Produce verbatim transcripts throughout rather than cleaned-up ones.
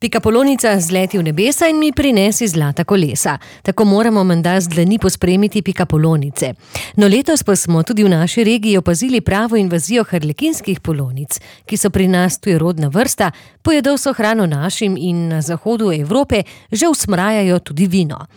Pikapolonica zleti v nebesa in mi prinesi zlata kolesa. Tako moramo menda z dlani pospremiti pikapolonice. No letos pa smo tudi v naši regiji opazili pravo invazijo harlekinskih polonic, ki so pri nas tujerodna vrsta, pojedo vso hrano našim in na zahodu Evrope že usmrajajo tudi vino.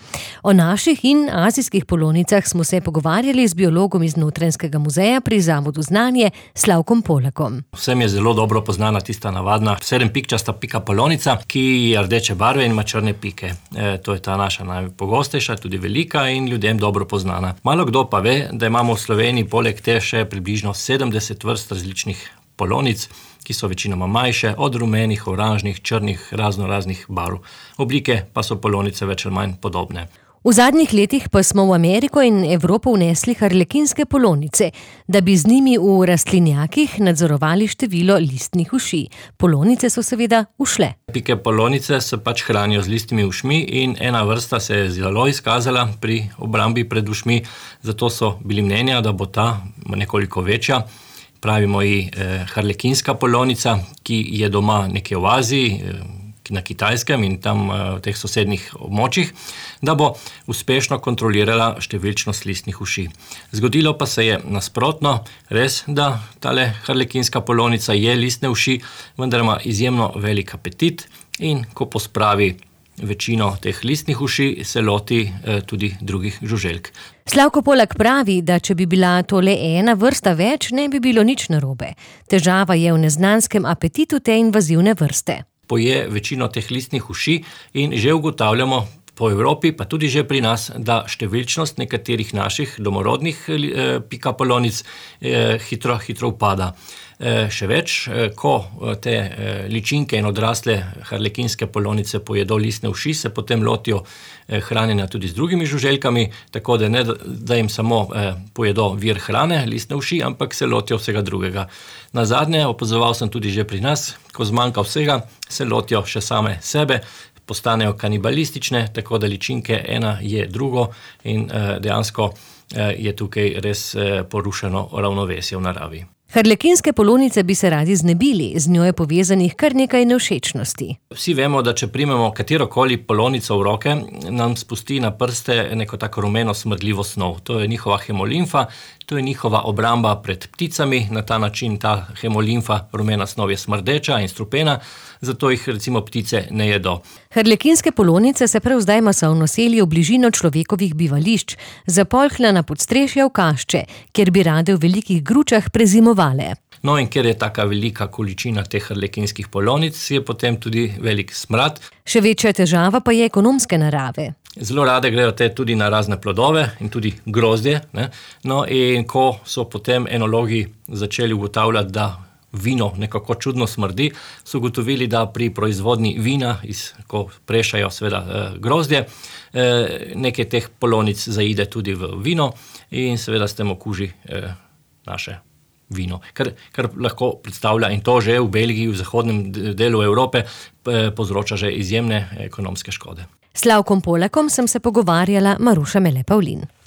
O naših in azijskih polonicah smo se pogovarjali z biologom iz Notranjskega muzeja pri Zavodu Znanje Slavkom Polakom. Vsem je zelo dobro poznana tista navadna sedempikčasta pikapolonica, ki je rdeče barve in ima črne pike. E, to je ta naša najpogostejša, tudi velika in ljudem dobro poznana. Malo kdo pa ve, da imamo v Sloveniji poleg te še približno sedemdeset vrst različnih polonic, ki so večinoma manjše, od rumenih, oranžnih, črnih, razno raznih barv. Oblike pa so polonice več ali manj podobne. V zadnjih letih pa smo v Ameriko in Evropo vnesli harlekinske polonice, da bi z njimi v rastlinjakih nadzorovali število listnih uši. Polonice so seveda ušle. Pike polonice se pač hranijo z listnimi ušmi in ena vrsta se je zelo izkazala pri obrambi pred ušmi, zato so bili mnenja, da bo ta nekoliko večja. Pravimo ji eh, harlekinska polonica, ki je doma nekje v Aziji, eh, na Kitajskem in tam v teh sosednjih območjih, da bo uspešno kontrolirala številčnost listnih uši. Zgodilo pa se je nasprotno, res, da tale harlekinska polonica je listne uši, vendar ima izjemno velik apetit in ko pospravi večino teh listnih uši, se loti eh, tudi drugih žuželk. Slavko Polak pravi, da če bi bila to le ena vrsta več, ne bi bilo nič narobe. Težava je v neznanskem apetitu te invazivne vrste. Poje večino teh listnih uši in že ugotavljamo po Evropi, pa tudi že pri nas, da številčnost nekaterih naših domorodnih eh, pikapolonic eh, hitro, hitro upada. Eh, še več, eh, ko te eh, ličinke in odrasle harlekinske polonice pojedo listne uši, se potem lotijo eh, hranjenja tudi z drugimi žuželkami, tako da ne, da jim samo eh, pojedo vir hrane, listne uši, ampak se lotijo vsega drugega. Nazadnje opazoval sem tudi že pri nas, ko zmanjka vsega, se lotijo še same sebe, postanejo kanibalistične, tako da ličinke ena je drugo in eh, dejansko eh, je tukaj res eh, porušeno ravnovesje v naravi. Harlekinske polonice bi se radi znebili, z njo je povezanih kar nekaj nevšečnosti. Vsi vemo, da če primemo katerokoli polonico v roke, nam spusti na prste neko tako rumeno smrdljivo snov. To je njihova hemolimfa, to je njihova obramba pred pticami, na ta način ta hemolimfa, rumena snov je smrdeča in strupena, zato jih recimo ptice ne jedo. Harlekinske polonice se prav zdaj masovno selijo v bližino človekovih bivališč, zapolhla na podstrešja v kašče, kjer bi rade v velikih gručah prezimovale. No in ker je taka velika količina teh harlekinskih polonic, je potem tudi velik smrad. Še večja težava pa je ekonomske narave. Zelo rade grejo te tudi na razne plodove in tudi grozdje, ne? No in ko so potem enologi začeli ugotavljati, da vino nekako čudno smrdi, so ugotovili, da pri proizvodnji vina, iz, ko prešajo seveda eh, grozdje, eh, nekaj teh polonic zaide tudi v vino in seveda s tem okuži eh, naše vino. Kar, kar lahko predstavlja, in to že v Belgiji, v zahodnem delu Evrope, eh, povzroča že izjemne ekonomske škode. S Slavkom Polakom sem se pogovarjala Maruša Mele Pavlin.